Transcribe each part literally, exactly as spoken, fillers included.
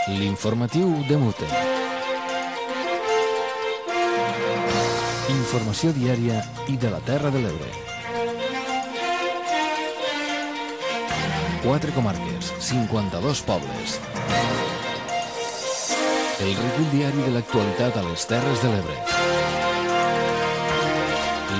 L'informatiu de Mute. Informació diària i de la Terra de l'Ebre. Quatre comarques, cinquanta-dos pobles. El recull diari de l'actualitat a les Terres de l'Ebre.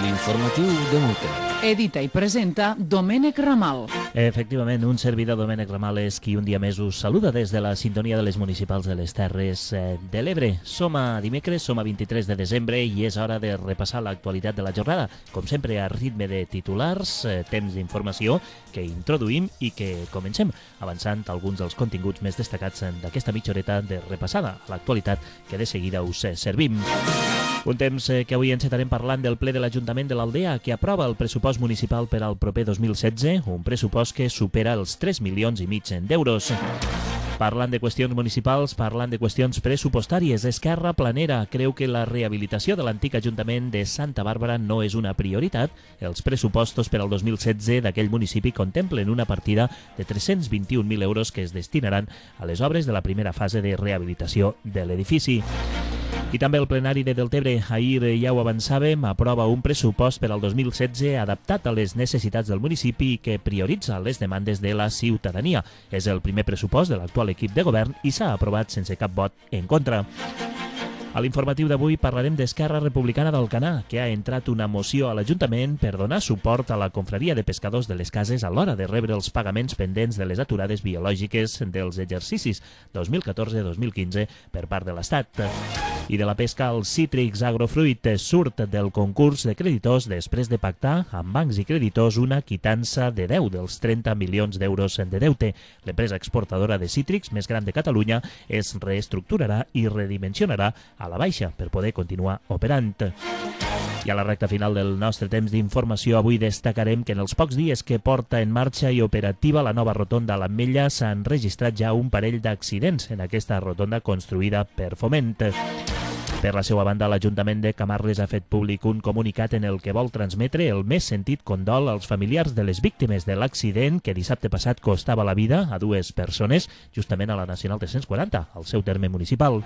L'informatiu de Mute. Edita i presenta Domènec Ramal. Efectivament, un servidor, Domènec Ramal, és qui un dia més us saluda des de la sintonia de les municipals de les Terres de l'Ebre. Som a dimecres, som a vint-i-tres de desembre i és hora de repassar l'actualitat de la jornada. Com sempre, a ritme de titulars, temps d'informació que introduïm i que comencem avançant alguns dels continguts més destacats d'aquesta mitja horeta de repassada a l'actualitat que de seguida us servim. Un temps que avui encetarem parlant del ple de l'Ajuntament de l'Aldea que aprova el pressupost municipal per al proper dos mil setze, un pressupost que supera els tres milions i mig d'euros. Parlant de qüestions municipals, parlant de qüestions pressupostàries, Esquerra Planera creu que la rehabilitació de l'antic Ajuntament de Santa Bàrbara no és una prioritat. Els pressupostos per al dos mil setze d'aquell municipi contemplen una partida de tres-cents vint-i-un mil euros que es destinaran a les obres de la primera fase de rehabilitació de l'edifici. I també el plenari de Deltebre, ahir ja ho avançàvem, aprova un pressupost per al dos mil setze adaptat a les necessitats del municipi i que prioritza les demandes de la ciutadania. És el primer pressupost de l'actual equip de govern i s'ha aprovat sense cap vot en contra. A l'informatiu d'avui parlarem d'Esquerra Republicana d'Alcanar, que ha entrat una moció a l'Ajuntament per donar suport a la confraria de pescadors de les cases a l'hora de rebre els pagaments pendents de les aturades biològiques dels exercicis dos mil catorze dos mil quinze per part de l'Estat. I de la pesca, el Cítrics Agrofruit surt del concurs de creditors després de pactar amb bancs i creditors una quitança de deu dels trenta milions d'euros de deute. L'empresa exportadora de cítrics més gran de Catalunya es reestructurarà i redimensionarà a la baixa per poder continuar operant. I a la recta final del nostre temps d'informació avui destacarem que en els pocs dies que porta en marxa i operativa la nova rotonda a l'Ametlla s'han registrat ja un parell d'accidents en aquesta rotonda construïda per Foment. Per la seva banda, l'Ajuntament de Camarles ha fet públic un comunicat en el que vol transmetre el més sentit condol als familiars de les víctimes de l'accident que dissabte passat costava la vida a dues persones justament a la Nacional tres-cents quaranta, al seu terme municipal.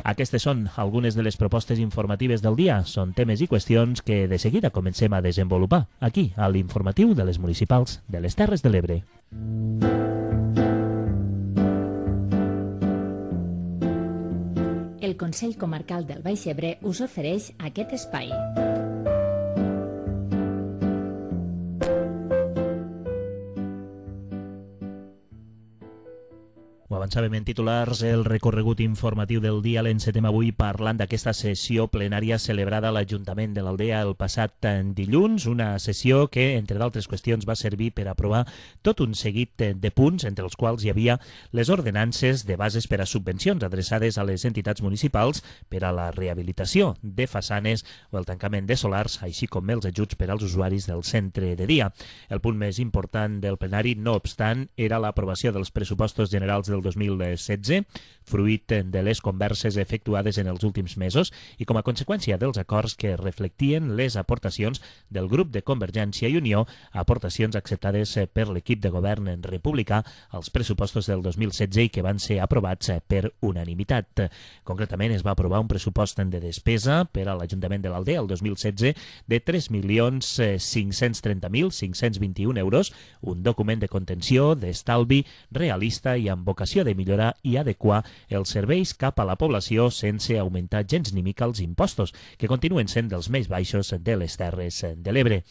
Aquestes són algunes de les propostes informatives del dia. Són temes i qüestions que de seguida comencem a desenvolupar aquí, a l'informatiu de les municipals de les Terres de l'Ebre. El Consell Comarcal del Baix Ebre us ofereix aquest espai. Ho avançàvem en titulars, el recorregut informatiu del dia l'encetem avui parlant d'aquesta sessió plenària celebrada a l'Ajuntament de l'Aldea el passat dilluns, una sessió que, entre d'altres qüestions, va servir per aprovar tot un seguit de punts, entre els quals hi havia les ordenances de bases per a subvencions adreçades a les entitats municipals per a la rehabilitació de façanes o el tancament de solars, així com els ajuts per als usuaris del centre de dia. El punt més important del plenari, no obstant, era l'aprovació dels pressupostos generals del dos mil setze, fruit de les converses efectuades en els últims mesos i com a conseqüència dels acords que reflectien les aportacions del grup de Convergència i Unió, aportacions acceptades per l'equip de govern republicà als pressupostos del dos mil setze i que van ser aprovats per unanimitat. Concretament, es va aprovar un pressupost de despesa per a l'Ajuntament de l'Aldea el dos mil setze de tres milions cinc-cents trenta mil cinc-cents vint-i-un euros, un document de contenció, d'estalvi realista i amb vocació de millorar i adequar els serveis cap a la població sense augmentar gens ni mica els impostos, que continuen sent dels més baixos de les Terres de l'Ebre.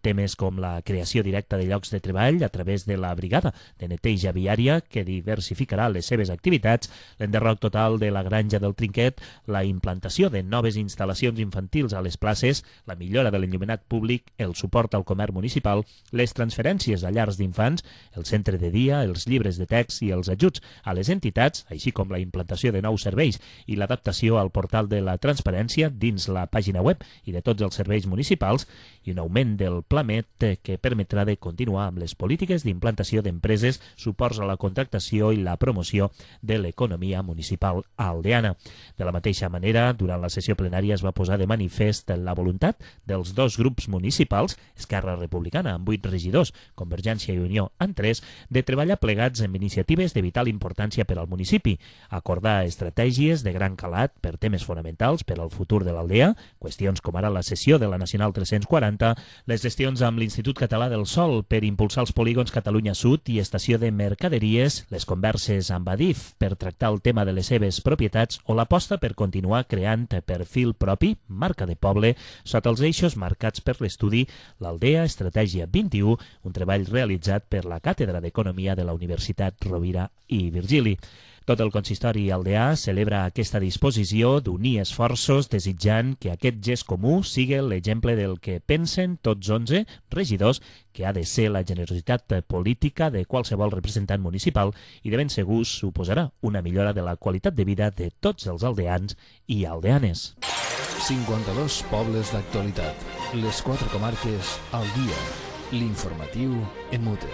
Temes com la creació directa de llocs de treball a través de la brigada de neteja viària que diversificarà les seves activitats, l'enderroc total de la granja del Trinquet, la implantació de noves instal·lacions infantils a les places, la millora de l'enllumenat públic, el suport al comerç municipal, les transferències a llars d'infants, el centre de dia, els llibres de text i els ajuts a les entitats, així com la implantació de nous serveis i l'adaptació al portal de la transparència dins la pàgina web i de tots els serveis municipals i un augment del pla Plamet, que permetrà de continuar amb les polítiques d'implantació d'empreses, suports a la contractació i la promoció de l'economia municipal aldeana. De la mateixa manera, durant la sessió plenària es va posar de manifest la voluntat dels dos grups municipals, Esquerra Republicana amb vuit regidors, Convergència i Unió amb tres, de treballar plegats en iniciatives de vital importància per al municipi, acordar estratègies de gran calat per temes fonamentals per al futur de l'aldea, qüestions com ara la cessió de la Nacional tres-cents quaranta, les gestions amb l'Institut Català del Sol per impulsar els polígons Catalunya Sud i estació de mercaderies, les converses amb Adif per tractar el tema de les seves propietats o l'aposta per continuar creant perfil propi, marca de poble, sota els eixos marcats per l'estudi L'Aldea Estratègia vint i u, un treball realitzat per la Càtedra d'Economia de la Universitat Rovira i Virgili. Tot el consistori aldeà celebra aquesta disposició d'unir esforços desitjant que aquest gest comú sigui l'exemple del que pensen tots onze regidors que ha de ser la generositat política de qualsevol representant municipal i de ben segur suposarà una millora de la qualitat de vida de tots els aldeans i aldeanes. cinquanta-dos pobles d'actualitat. Les quatre comarques al dia. L'informatiu en Mute.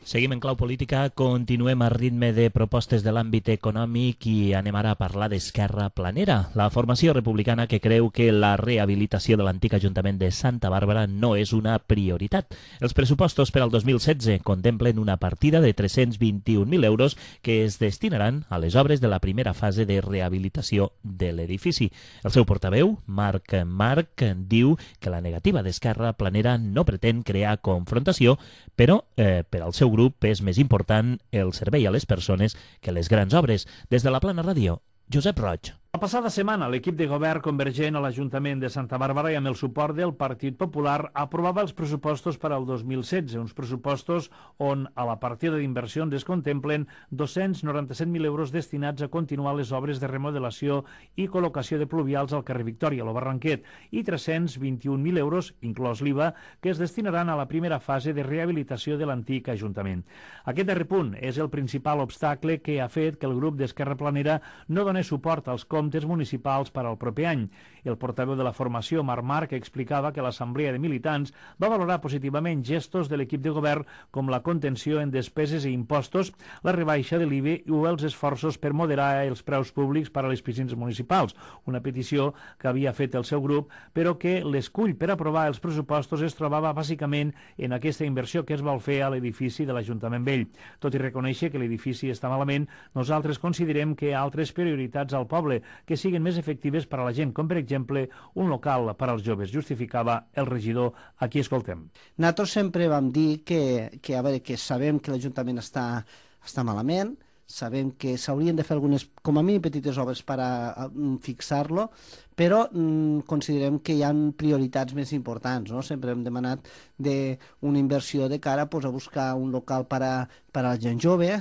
Seguim en clau política, continuem a ritme de propostes de l'àmbit econòmic i anem ara a parlar d'Esquerra Planera, la formació republicana que creu que la rehabilitació de l'antic Ajuntament de Santa Bàrbara no és una prioritat. Els pressupostos per al dos mil setze contemplen una partida de tres-cents vint-i-un mil euros que es destinaran a les obres de la primera fase de rehabilitació de l'edifici. El seu portaveu, Marc Marc, diu que la negativa d'Esquerra Planera no pretén crear confrontació, però eh, per al seu grup és més important el servei a les persones que les grans obres. Des de la Plana Ràdio, Josep Roig. La passada setmana, l'equip de govern convergent a l'Ajuntament de Santa Bàrbara i amb el suport del Partit Popular aprovava els pressupostos per al dos mil setze, uns pressupostos on a la partida d'inversions es contemplen dos-cents noranta-set mil euros destinats a continuar les obres de remodelació i col·locació de pluvials al carrer Victòria, lo Barranquet, i tres-cents vint-i-un mil euros, inclòs l'I V A, que es destinaran a la primera fase de rehabilitació de l'antic Ajuntament. Aquest darrer punt és el principal obstacle que ha fet que el grup d'Esquerra Planera no doni suport als comptes municipals per al proper any. El portaveu de la formació, Marc Marc, explicava que l'Assemblea de Militants va valorar positivament gestos de l'equip de govern com la contenció en despeses i impostos, la rebaixa de l'I V A o els esforços per moderar els preus públics per a les piscines municipals, una petició que havia fet el seu grup, però que l'escull per aprovar els pressupostos es trobava bàsicament en aquesta inversió que es vol fer a l'edifici de l'Ajuntament Vell. Tot i reconèixer que l'edifici està malament, nosaltres considerem que hi ha altres prioritats al poble que siguin més efectives per a la gent, com per exemple un local per als joves, justificava el regidor. Aquí escoltem. Nosaltres sempre vam dir que, que, a veure, que sabem que l'Ajuntament està, està malament, sabem que s'haurien de fer algunes, com a mínim, petites obres per a, a fixar-lo, però mm, considerem que hi ha prioritats més importants, no? Sempre hem demanat de una inversió de cara pues, a buscar un local per a, per a la gent jove,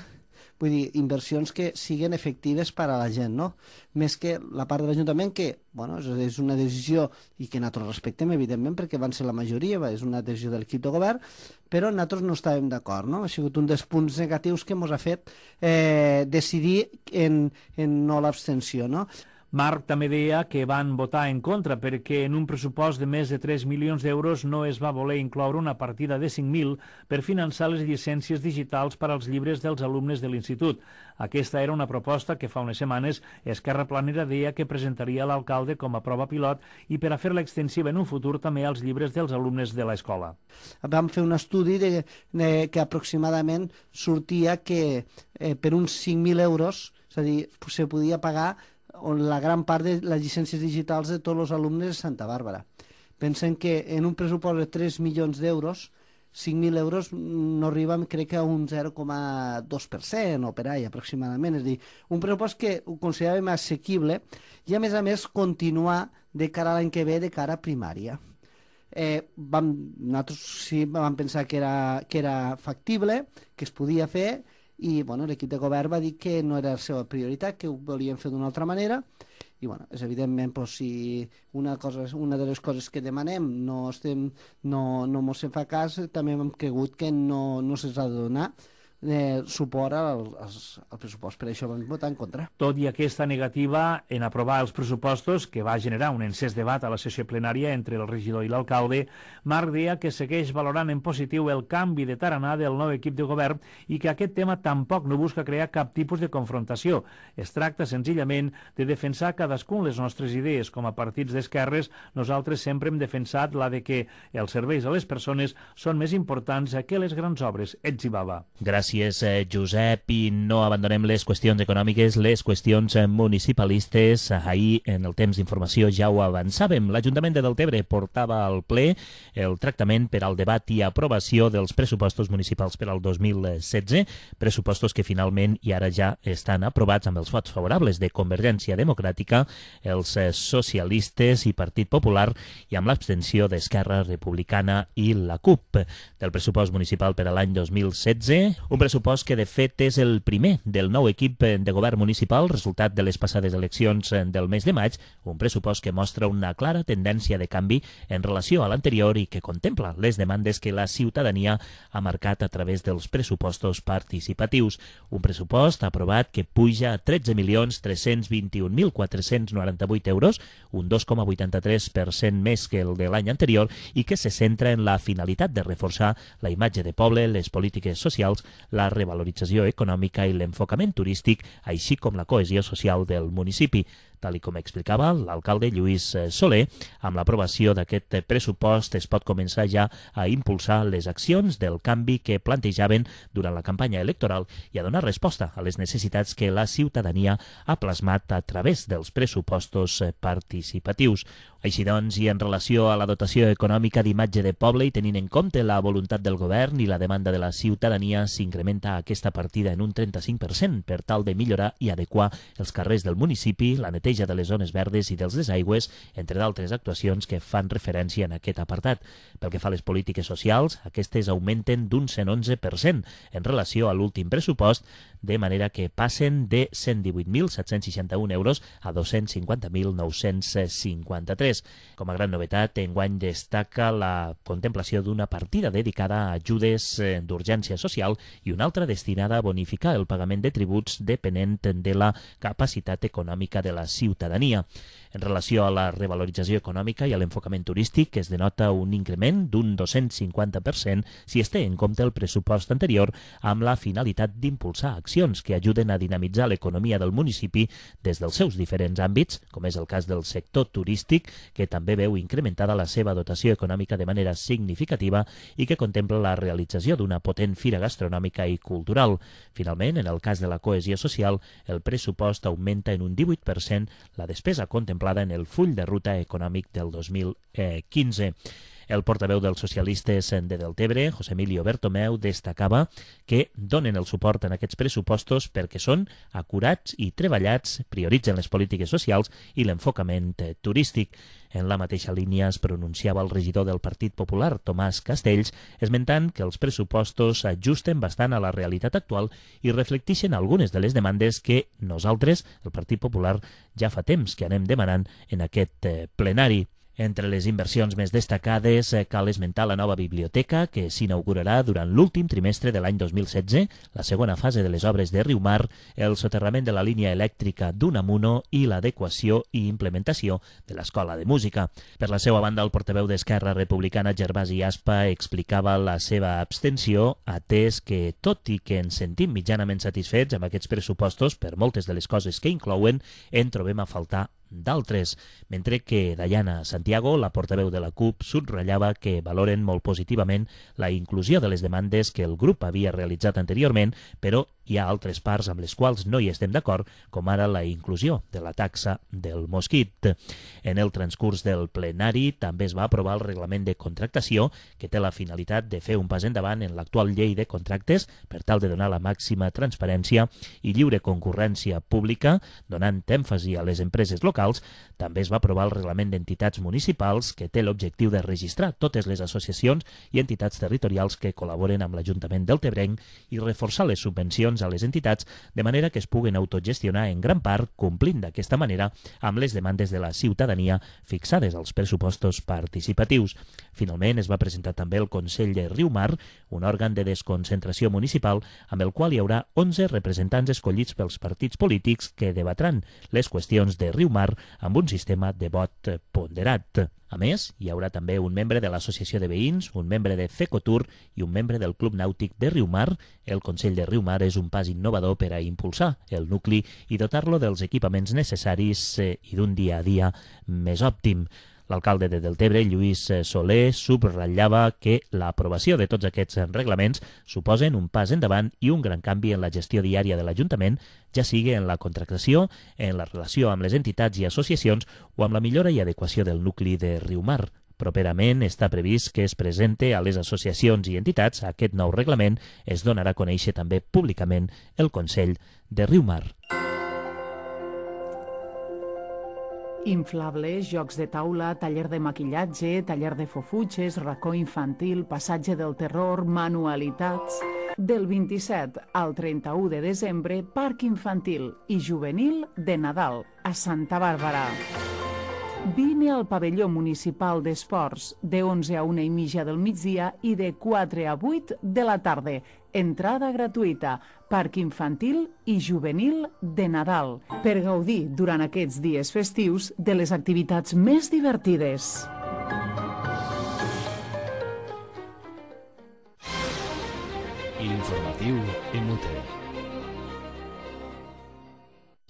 vull dir, inversions que siguin efectives per a la gent, no? Més que la part de l'Ajuntament, que, bueno, és una decisió i que nosaltres respectem, evidentment, perquè van ser la majoria, és una decisió de l'equip de govern, però nosaltres no estàvem d'acord, no? Ha sigut un dels punts negatius que ens ha fet eh, decidir en, en no l'abstenció, no? Marc també deia que van votar en contra perquè en un pressupost de més de tres milions d'euros no es va voler incloure una partida de cinc mil per finançar les llicències digitals per als llibres dels alumnes de l'institut. Aquesta era una proposta que fa unes setmanes Esquerra Planera deia que presentaria l'alcalde com a prova pilot i per a fer-la extensiva en un futur també als llibres dels alumnes de l'escola. Vam fer un estudi de, de, que aproximadament sortia que eh, per uns cinc mil euros, és a dir, se podia pagar la gran part de les llicències digitals de tots els alumnes de Santa Bàrbara. Pensen que en un pressupost de tres milions d'euros, cinc mil euros no arriben, crec que a un zero coma dos per cent o per ahí aproximadament. És a dir, un pressupost que ho consideràvem assequible i a més a més continuar de cara a l'any que ve de cara a primària. Eh, vam, nosaltres sí vam pensar que era, que era factible, que es podia fer, i bueno, l'equip de govern va dir que no era la seva prioritat, que ho volien fer d'una altra manera, i bueno, és evidentment pues, si una, cosa, una de les coses que demanem no estem, no, no mos en fa cas, també hem cregut que no, no se'ns ha de donar. eh, suport al, al, al pressupost. Per això vam votar en contra. Tot i aquesta negativa en aprovar els pressupostos, que va generar un encès debat a la sessió plenària entre el regidor i l'alcalde, Marc deia que segueix valorant en positiu el canvi de tarannà del nou equip de govern i que aquest tema tampoc no busca crear cap tipus de confrontació. Es tracta senzillament de defensar cadascun les nostres idees. Com a partits d'esquerres, nosaltres sempre hem defensat la de que els serveis a les persones són més importants que les grans obres. Ets i bava. Gràcies, eh, Josep, i no abandonem les qüestions econòmiques, les qüestions municipalistes. Ahir, en el temps d'informació, ja ho avançàvem. L'Ajuntament de Deltebre portava al ple el tractament per al debat i aprovació dels pressupostos municipals per al dos mil setze, pressupostos que finalment i ara ja estan aprovats amb els vots favorables de Convergència Democràtica, els socialistes i Partit Popular, i amb l'abstenció d'Esquerra Republicana i la CUP. Del pressupost municipal per a l'any dos mil setze, un pressupost que de fet és el primer del nou equip de govern municipal, resultat de les passades eleccions del mes de maig, un pressupost que mostra una clara tendència de canvi en relació a l'anterior i que contempla les demandes que la ciutadania ha marcat a través dels pressupostos participatius. Un pressupost aprovat que puja a tretze milions tres-cents vint-i-un mil quatre-cents noranta-vuit euros, un dos coma vuitanta-tres per cent més que el de l'any anterior, i que se centra en la finalitat de reforçar la imatge de poble, les polítiques socials, la revalorització econòmica i l'enfocament turístic, així com la cohesió social del municipi. Tal i com explicava l'alcalde Lluís Soler, amb l'aprovació d'aquest pressupost es pot començar ja a impulsar les accions del canvi que plantejaven durant la campanya electoral i a donar resposta a les necessitats que la ciutadania ha plasmat a través dels pressupostos participatius. Així doncs, i en relació a la dotació econòmica d'imatge de poble i tenint en compte la voluntat del govern i la demanda de la ciutadania, s'incrementa aquesta partida en un trenta-cinc per cent per tal de millorar i adequar els carrers del municipi, la neteja de les zones verdes i dels desaigües, entre d'altres actuacions que fan referència en aquest apartat. Pel que fa a les polítiques socials, aquestes augmenten d'un cent onze per cent en relació a l'últim pressupost, de manera que passen de cent divuit mil set-cents seixanta-un euros a dos-cents cinquanta mil nou-cents cinquanta-tres. Com a gran novetat, enguany destaca la contemplació d'una partida dedicada a ajudes d'urgència social i una altra destinada a bonificar el pagament de tributs depenent de la capacitat econòmica de la ciutadania. En relació a la revalorització econòmica i a l'enfocament turístic, es denota un increment d'un dos-cents cinquanta per cent si es té en compte el pressupost anterior, amb la finalitat d'impulsar accions que ajuden a dinamitzar l'economia del municipi des dels seus diferents àmbits, com és el cas del sector turístic, que també veu incrementada la seva dotació econòmica de manera significativa i que contempla la realització d'una potent fira gastronòmica i cultural. Finalment, en el cas de la cohesió social, el pressupost augmenta en un divuit per cent la despesa contemplada en el full de ruta econòmic del dos mil quinze. El portaveu dels socialistes de Deltebre, José Emilio Bertomeu, destacava que donen el suport en aquests pressupostos perquè són acurats i treballats, prioritzen les polítiques socials i l'enfocament turístic. En la mateixa línia es pronunciava el regidor del Partit Popular, Tomàs Castells, esmentant que els pressupostos s'ajusten bastant a la realitat actual i reflecteixen algunes de les demandes que nosaltres, el Partit Popular, ja fa temps que anem demanant en aquest plenari. Entre les inversions més destacades cal esmentar la nova biblioteca que s'inaugurarà durant l'últim trimestre de l'any dos mil setze, la segona fase de les obres de Riumar, el soterrament de la línia elèctrica d'Unamuno i l'adequació i implementació de l'Escola de Música. Per la seva banda, el portaveu d'Esquerra Republicana, Gervasi Aspa, explicava la seva abstenció, atès que, tot i que ens sentim mitjanament satisfets amb aquests pressupostos per moltes de les coses que inclouen, en trobem a faltar d'altres, mentre que Dayana Santiago, la portaveu de la CUP, subratllava que valoren molt positivament la inclusió de les demandes que el grup havia realitzat anteriorment, però hi ha altres parts amb les quals no hi estem d'acord, com ara la inclusió de la taxa del mosquit. En el transcurs del plenari també es va aprovar el reglament de contractació, que té la finalitat de fer un pas endavant en l'actual llei de contractes per tal de donar la màxima transparència i lliure concurrència pública, donant èmfasi a les empreses locals. També es va aprovar el reglament d'entitats municipals, que té l'objectiu de registrar totes les associacions i entitats territorials que col·laboren amb l'Ajuntament deltebrenc i reforçar les subvencions subvencions a les entitats, de manera que es puguen autogestionar en gran part, complint d'aquesta manera amb les demandes de la ciutadania fixades als pressupostos participatius. Finalment, es va presentar també el Consell de Riumar, un òrgan de desconcentració municipal amb el qual hi haurà onze representants escollits pels partits polítics que debatran les qüestions de Riumar amb un sistema de vot ponderat. A més, hi haurà també un membre de l'Associació de Veïns, un membre de Fecotur i un membre del Club Nàutic de Riumar. El Consell de Riumar és un pas innovador per a impulsar el nucli i dotar-lo dels equipaments necessaris eh, i d'un dia a dia més òptim. L'alcalde de Deltebre, Lluís Soler, subratllava que l'aprovació de tots aquests reglaments suposen un pas endavant i un gran canvi en la gestió diària de l'Ajuntament, ja sigui en la contractació, en la relació amb les entitats i associacions o amb la millora i adequació del nucli de Riumar. Properament està previst que es presente a les associacions i entitats aquest nou reglament. Es donarà a conèixer també públicament el Consell de Riumar. Inflables, jocs de taula, taller de maquillatge, taller de fofutxes, racó infantil, passatge del terror, manualitats... Del vint-i-set al trenta-u de desembre, Parc Infantil i Juvenil de Nadal, a Santa Bàrbara. Vine al pavelló municipal d'esports de onze a una i mitja del migdia i de quatre a vuit de la tarda. Entrada gratuïta, Parc Infantil i Juvenil de Nadal, per gaudir durant aquests dies festius de les activitats més divertides. L'informatiu en mute.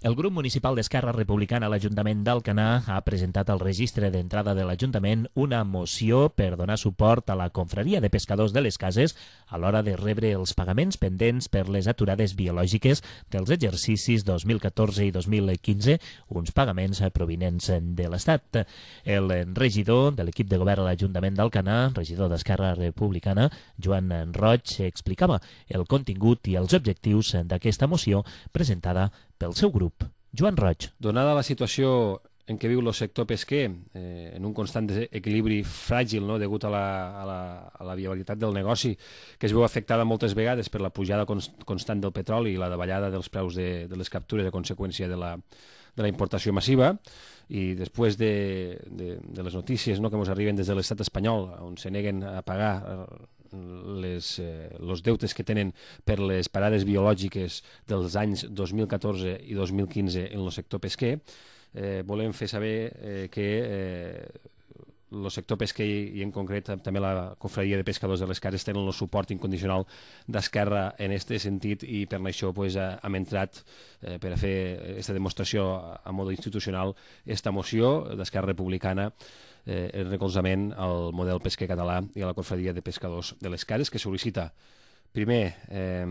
El grup municipal d'Esquerra Republicana a l'Ajuntament d'Alcanar ha presentat al registre d'entrada de l'Ajuntament una moció per donar suport a la confraria de pescadors de les cases a l'hora de rebre els pagaments pendents per les aturades biològiques dels exercicis dos mil catorze i dos mil quinze, uns pagaments provinents de l'Estat. El regidor de l'equip de govern a l'Ajuntament d'Alcanar, regidor d'Esquerra Republicana, Joan Roig, explicava el contingut i els objectius d'aquesta moció presentada pel seu grup. Joan Roig. Donada la situació en què viu el sector pesquer, eh, en un constant equilibri fràgil, no?, degut a la, a, la, a la viabilitat del negoci, que es veu afectada moltes vegades per la pujada const, constant del petroli i la davallada dels preus de, de les captures a conseqüència de la, de la importació massiva, i després de, de, de les notícies, no?, que ens arriben des de l'estat espanyol, on se neguen a pagar les, eh, els deutes que tenen per les parades biològiques dels anys dos mil catorze i dos mil quinze en el sector pesquer, eh, volem fer saber eh, que eh, el sector pesquer i en concret també la confraria de pescadors de les cases tenen el suport incondicional d'Esquerra en aquest sentit, i per això pues, hem entrat eh, per a fer aquesta demostració a mode institucional, esta moció d'Esquerra Republicana eh, en recolzament al model pesquer català i a la confraria de pescadors de les cases, que sol·licita primer eh,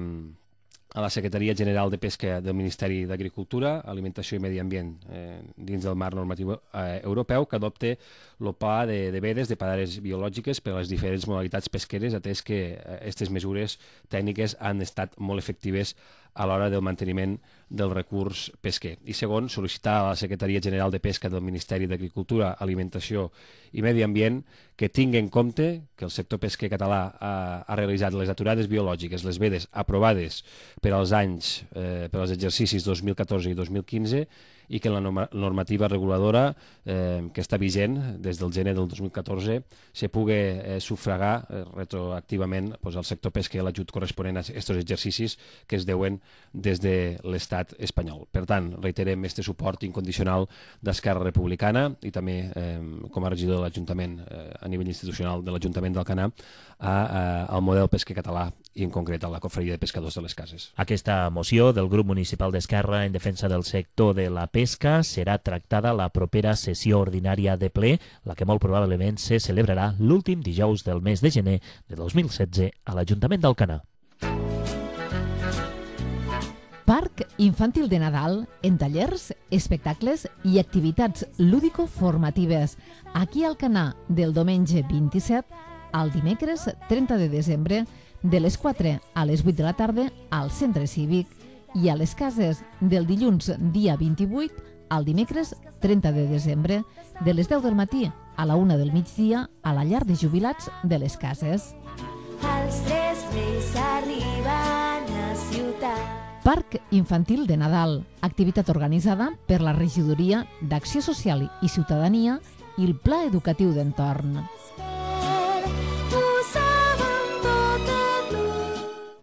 a la Secretaria General de Pesca del Ministeri d'Agricultura, Alimentació i Medi Ambient eh, dins del marc normatiu eh, europeu, que adopte el pla de, de vedes de parades biològiques per a les diferents modalitats pesqueres, atès que aquestes mesures tècniques han estat molt efectives a l'hora del manteniment del recurs pesquer. I segon, sol·licitar a la Secretaria General de Pesca del Ministeri d'Agricultura, Alimentació i Medi Ambient que tingui en compte que el sector pesquer català ha, ha realitzat les aturades biològiques, les vedes aprovades per als anys, eh, per als exercicis dos mil catorze i dos mil quinze, i que la normativa reguladora eh, que està vigent des del gener del dos mil catorze se pugui eh, sufragar eh, retroactivament pues, al sector pesquer l'ajut corresponent a aquests exercicis que es deuen des de l'estat espanyol. Per tant, reiterem este suport incondicional d'Esquerra Republicana i també eh, com a regidor de l'Ajuntament eh, a nivell institucional de l'Ajuntament d'Alcanar a, a, al model pesquer català i en concret a la confraria de pescadors de les cases. Aquesta moció del grup municipal d'Esquerra en defensa del sector de la pesca serà tractada a la propera sessió ordinària de ple, la que molt probablement se celebrarà l'últim dijous del mes de gener de dos mil setze a l'Ajuntament d'Alcanar. Parc Infantil de Nadal en tallers, espectacles i activitats lúdico-formatives aquí a Alcanar del diumenge vint-i-set al dimecres trenta de desembre de les quatre a les vuit de la tarda al Centre Cívic i a les cases del dilluns dia vint-i-vuit al dimecres trenta de desembre de les deu del matí a la una del migdia a la llar de jubilats de les cases. Els tres reis arriben a ciutat. Parc Infantil de Nadal, activitat organitzada per la Regidoria d'Acció Social i Ciutadania i el Pla Educatiu d'Entorn.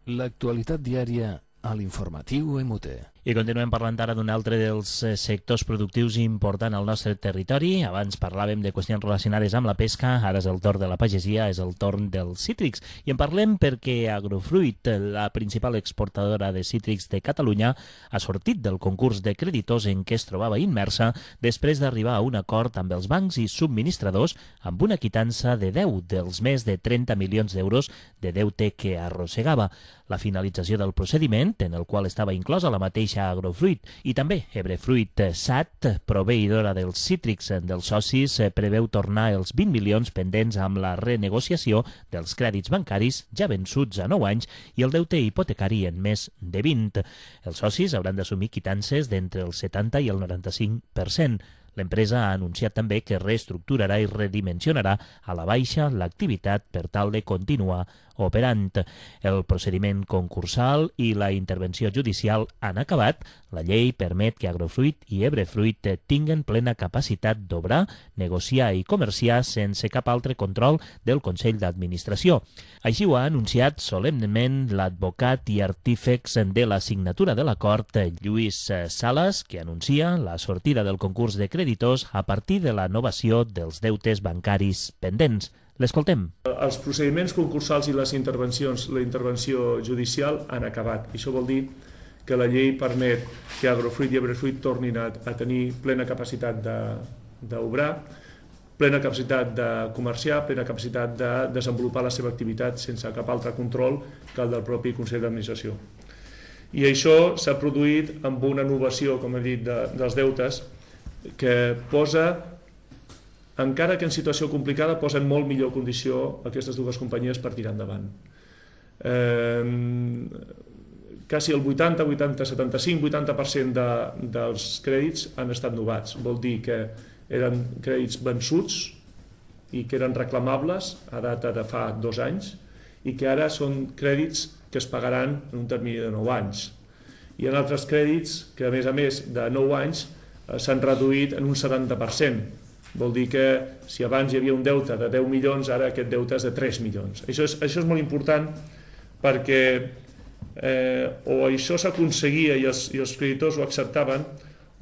L'actualitat diària a l'informatiu M U T. I continuem parlant ara d'un altre dels sectors productius important al nostre territori. Abans parlàvem de qüestions relacionades amb la pesca, ara és el torn de la pagesia, és el torn dels cítrics. I en parlem perquè Agrofruit, la principal exportadora de cítrics de Catalunya, ha sortit del concurs de creditors en què es trobava immersa després d'arribar a un acord amb els bancs i subministradors amb una quitança de deu dels més de trenta milions d'euros de deute que arrossegava. La finalització del procediment, en el qual estava inclosa la mateixa Agrofruit i també Ebrefruit S A T, proveïdora dels cítrics dels socis, preveu tornar els vint milions pendents amb la renegociació dels crèdits bancaris ja vençuts a nou anys i el deute hipotecari en més de vint. Els socis hauran d'assumir quitances d'entre el setanta i el noranta-cinc per cent. L'empresa ha anunciat també que reestructurarà i redimensionarà a la baixa l'activitat per tal de continuar operant. El procediment concursal i la intervenció judicial han acabat. La llei permet que Agrofruit i Ebrefruit tinguen plena capacitat d'obrar, negociar i comerciar sense cap altre control del Consell d'Administració. Així ho ha anunciat solemnement l'advocat i artífex de la signatura de l'acord, Lluís Sales, que anuncia la sortida del concurs de creditors a partir de la novació dels deutes bancaris pendents. L'escoltem. Els procediments concursals i les intervencions, la intervenció judicial han acabat. Això vol dir que la llei permet que Agrofruit i Ebrefruit tornin a, a tenir plena capacitat d'obrar, plena capacitat de comerciar, plena capacitat de desenvolupar la seva activitat sense cap altre control que el del propi Consell d'Administració. I això s'ha produït amb una innovació, com he dit, de, dels deutes que posa, encara que en situació complicada, posa en molt millor condició aquestes dues companyies per tirar endavant. Eh, quasi el vuitanta, vuitanta, setanta-cinc, vuitanta per cent de, dels crèdits han estat novats. Vol dir que eren crèdits vençuts i que eren reclamables a data de fa dos anys i que ara són crèdits que es pagaran en un termini de nou anys. Hi ha altres crèdits que, a més a més de nou anys, s'han reduït en un setanta per cent. Vol dir que si abans hi havia un deute de deu milions, ara aquest deute és de tres milions. Això és, això és molt important perquè eh, o això s'aconseguia i, els, i els creditors ho acceptaven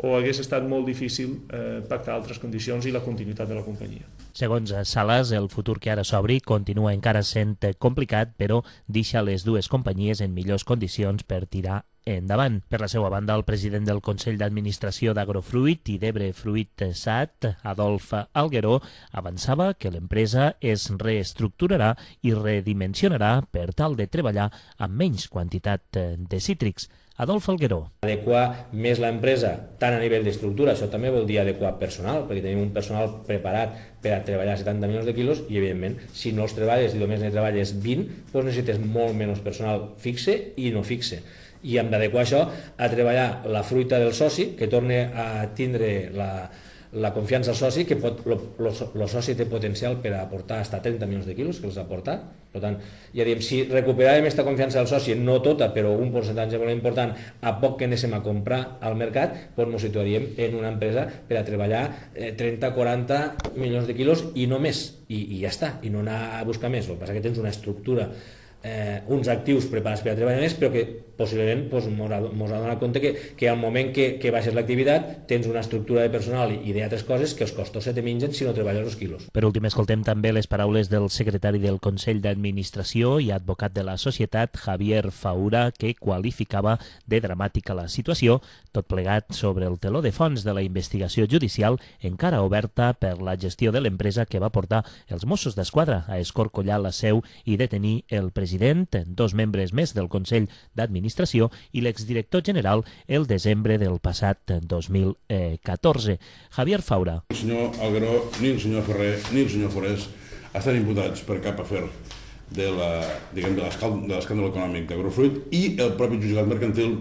o hagués estat molt difícil eh, pactar altres condicions i la continuïtat de la companyia. Segons Sales, el futur que ara s'obri continua encara sent complicat, però deixa les dues companyies en millors condicions per tirar endavant. Per la seva banda, el president del Consell d'Administració d'Agrofruit i d'Ebrefruit S A T, Adolf Algueró, avançava que l'empresa es reestructurarà i redimensionarà per tal de treballar amb menys quantitat de cítrics. Adolf Algueró. Adequar més l'empresa, tant a nivell d'estructura, això també vol dir adequar personal, perquè tenim un personal preparat per a treballar setanta milions de quilos i, evidentment, si no els treballes i només ne treballes vint, doncs necessites molt menys personal fixe i no fixe. I hem d'adequar això a treballar la fruita del soci, que torni a tindre la, la confiança al soci, que pot, lo, lo, lo soci té potencial per a aportar fins a trenta milions de quilos, que els ha aportat. Per tant, ja diem, si recuperàvem aquesta confiança del soci, no tota, però un percentatge molt important, a poc que anéssim a comprar al mercat, doncs ens situaríem en una empresa per a treballar trenta a quaranta milions de quilos i no més, i, i ja està, i no anar a buscar més. El que passa és que tens una estructura, eh, uns actius preparats per a treballar més, però que possiblement doncs, mos ha, mos ha donat compte que, que al moment que, que baixes l'activitat tens una estructura de personal i, i d'altres coses que els costos se te mengen si no treballes els quilos. Per últim, escoltem també les paraules del secretari del Consell d'Administració i advocat de la societat, Javier Faura, que qualificava de dramàtica la situació, tot plegat sobre el teló de fons de la investigació judicial encara oberta per la gestió de l'empresa que va portar els Mossos d'Esquadra a escorcollar la seu i detenir el president, dos membres més del Consell d'Administració i l'exdirector general el desembre del passat dos mil catorze. Javier Faura. El senyor Algueró, ni el senyor Ferrer, ni el senyor Forés estan imputats per cap afer de l'escàndol econòmic d'Agrofruit i el propi jutjat mercantil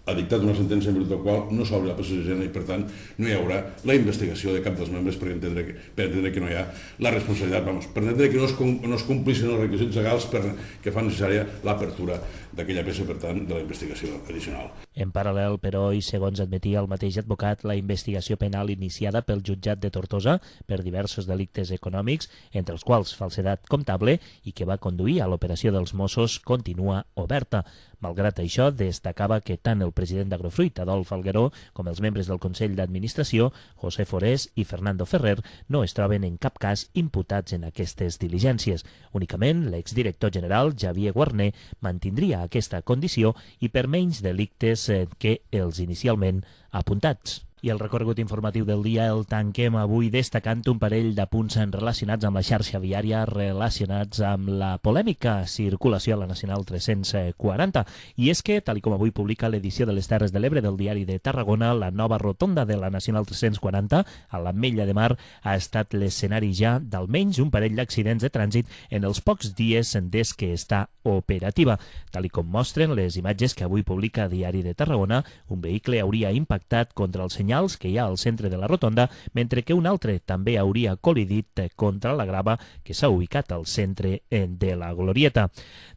ha dictat una sentència en virtut del qual no s'obre la procediment i, per tant, no hi haurà la investigació de cap dels membres per entendre que, per entendre que no hi ha la responsabilitat, vamos, per entendre que no es, no es complixen els requisits legals per, que fan necessària l'apertura d'aquella peça, per tant, de la investigació addicional. En paral·lel, però, i segons admetia el mateix advocat, la investigació penal iniciada pel jutjat de Tortosa per diversos delictes econòmics, entre els quals falsedat comptable, i que va conduir a l'operació dels Mossos, continua oberta. Malgrat això, destacava que tant el president d'Agrofruit, Adolf Algueró, com els membres del Consell d'Administració, José Forés i Fernando Ferrer, no es troben en cap cas imputats en aquestes diligències. Únicament, l'exdirector general, Javier Guarner, mantindria aquesta condició i per menys delictes que els inicialment apuntats. I el recorregut informatiu del dia el tanquem avui destacant un parell d'apunts relacionats amb la xarxa viària, relacionats amb la polèmica circulació a la Nacional tres-cents quaranta. I és que, tal com avui publica l'edició de les Terres de l'Ebre del Diari de Tarragona, la nova rotonda de la Nacional tres-cents quaranta, a l'Ametlla de Mar, ha estat l'escenari ja d'almenys un parell d'accidents de trànsit en els pocs dies des que està operativa. Tal com mostren les imatges que avui publica Diari de Tarragona, un vehicle hauria impactat contra el senyal que hi ha al centre de la rotonda, mentre que un altre també hauria col·lidit contra la grava que s'ha ubicat al centre de la glorieta.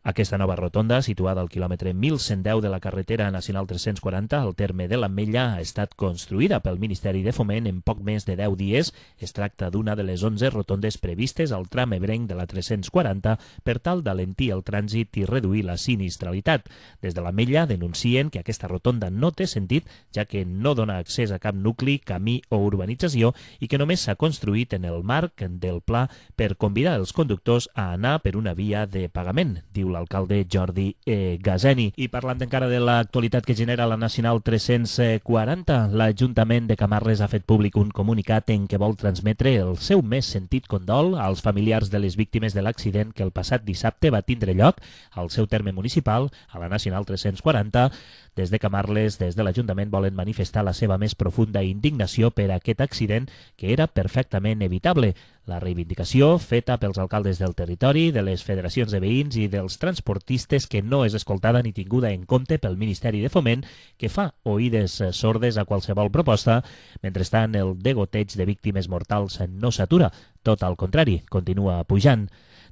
Aquesta nova rotonda, situada al quilòmetre mil cent deu de la carretera nacional tres-cents quaranta, al terme de l'Ametlla, ha estat construïda pel Ministeri de Foment en poc més de deu dies. Es tracta d'una de les onze rotondes previstes al tram ebrenc de la tres-cents quaranta per tal d'alentir el trànsit i reduir la sinistralitat. Des de l'Ametlla denuncien que aquesta rotonda no té sentit, ja que no dona accés a cap nucli, camí o urbanització i que només s'ha construït en el marc del pla per convidar els conductors a anar per una via de pagament, diu l'alcalde Jordi eh, Gazeni. I parlant encara de l'actualitat que genera la Nacional tres-cents quaranta, l'Ajuntament de Camarles ha fet públic un comunicat en què vol transmetre el seu més sentit condol als familiars de les víctimes de l'accident que el passat dissabte va tindre lloc al seu terme municipal, a la Nacional tres-cents quaranta. Des de Camarles, des de l'Ajuntament, volen manifestar la seva més profunda indignació per aquest accident que era perfectament evitable. La reivindicació feta pels alcaldes del territori, de les federacions de veïns i dels transportistes que no és escoltada ni tinguda en compte pel Ministeri de Foment, que fa oïdes sordes a qualsevol proposta. Mentrestant, el degoteig de víctimes mortals no s'atura. Tot al contrari, continua pujant.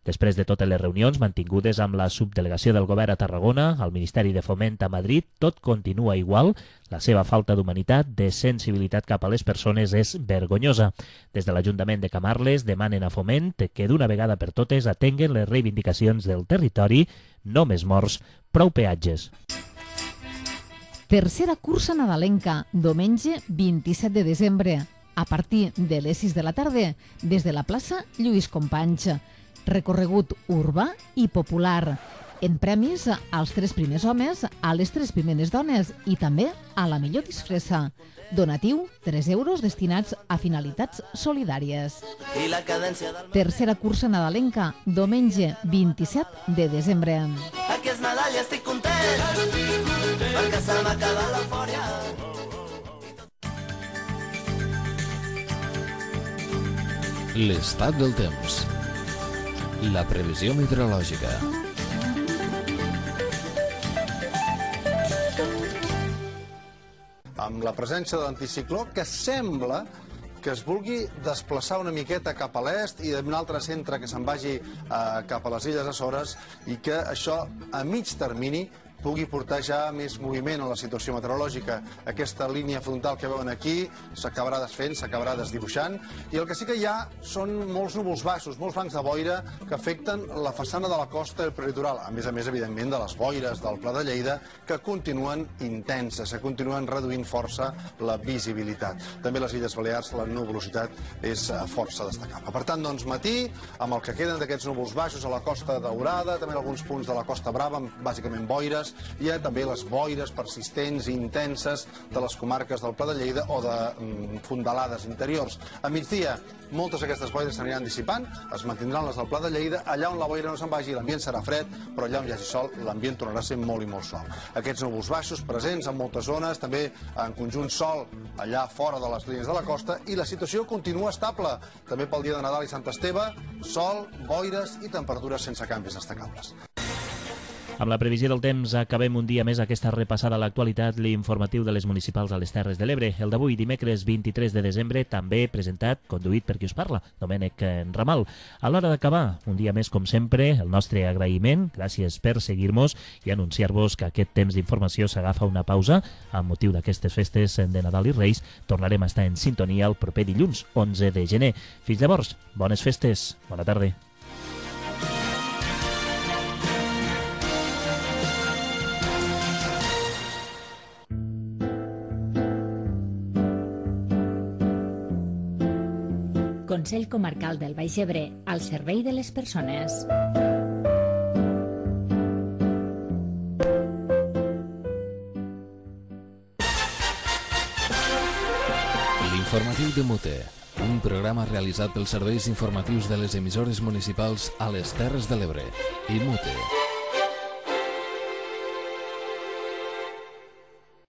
Després de totes les reunions mantingudes amb la subdelegació del govern a Tarragona, al Ministeri de Foment a Madrid, tot continua igual. La seva falta d'humanitat, de sensibilitat cap a les persones és vergonyosa. Des de l'Ajuntament de Camarles demanen a Foment que d'una vegada per totes atenguen les reivindicacions del territori, no més morts, prou peatges. Tercera cursa nadalenca, diumenge vint-i-set de desembre, a partir de les sis de la tarda, des de la plaça Lluís Companys. Recorregut urbà i popular. En premis als tres primers homes, a les tres primeres dones i també a la millor disfressa. Donatiu, tres euros destinats a finalitats solidàries. Tercera cursa nadalenca, diumenge vint-i-set de desembre. Aquí és Nadal i estic content, perquè se m'ha acabat l'eufòria. L'estat del temps. La previsió meteorològica. Amb la presència de l'anticicló, que sembla que es vulgui desplaçar una miqueta cap a l'est i d'un altre centre que se'n vagi eh, cap a les Illes Açores i que això a mig termini pugui portar ja més moviment a la situació meteorològica. Aquesta línia frontal que veuen aquí s'acabarà desfent, s'acabarà desdibuixant, i el que sí que hi ha són molts núvols baixos, molts bancs de boira que afecten la façana de la costa i el prelitoral, a més a més, evidentment, de les boires del Pla de Lleida, que continuen intenses, que continuen reduint força la visibilitat. També a les Illes Balears la nuvolositat és força destacable. Per tant, doncs, matí, amb el que queden d'aquests núvols baixos a la Costa Daurada, també en alguns punts de la Costa Brava, bàsicament boires, hi ha també les boires persistents i intenses de les comarques del Pla de Lleida o de mm, fondalades interiors. A migdia, moltes d'aquestes boires s'aniran dissipant, es mantindran les del Pla de Lleida. Allà on la boira no se'n vagi, l'ambient serà fred, però allà on hi hagi sol, l'ambient tornarà a ser molt i molt sol. Aquests núvols baixos presents en moltes zones, també en conjunt sol allà fora de les línies de la costa, i la situació continua estable. També pel dia de Nadal i Sant Esteve, sol, boires i temperatures sense canvis destacables. Amb la previsió del temps acabem un dia més aquesta repassada a l'actualitat, l'informatiu de les municipals a les Terres de l'Ebre. El d'avui, dimecres vint-i-tres de desembre, també presentat, conduït per qui us parla, Domènec Ramal. A l'hora d'acabar, un dia més com sempre, el nostre agraïment, gràcies per seguir-nos i anunciar-vos que aquest temps d'informació s'agafa una pausa amb motiu d'aquestes festes de Nadal i Reis. Tornarem a estar en sintonia el proper dilluns, onze de gener. Fins llavors, bones festes, bona tarda. Consell Comarcal del Baix Ebre, al servei de les persones. L'informatiu de Mute, un programa realitzat pels serveis informatius de les emissores municipals a les Terres de l'Ebre i Mute.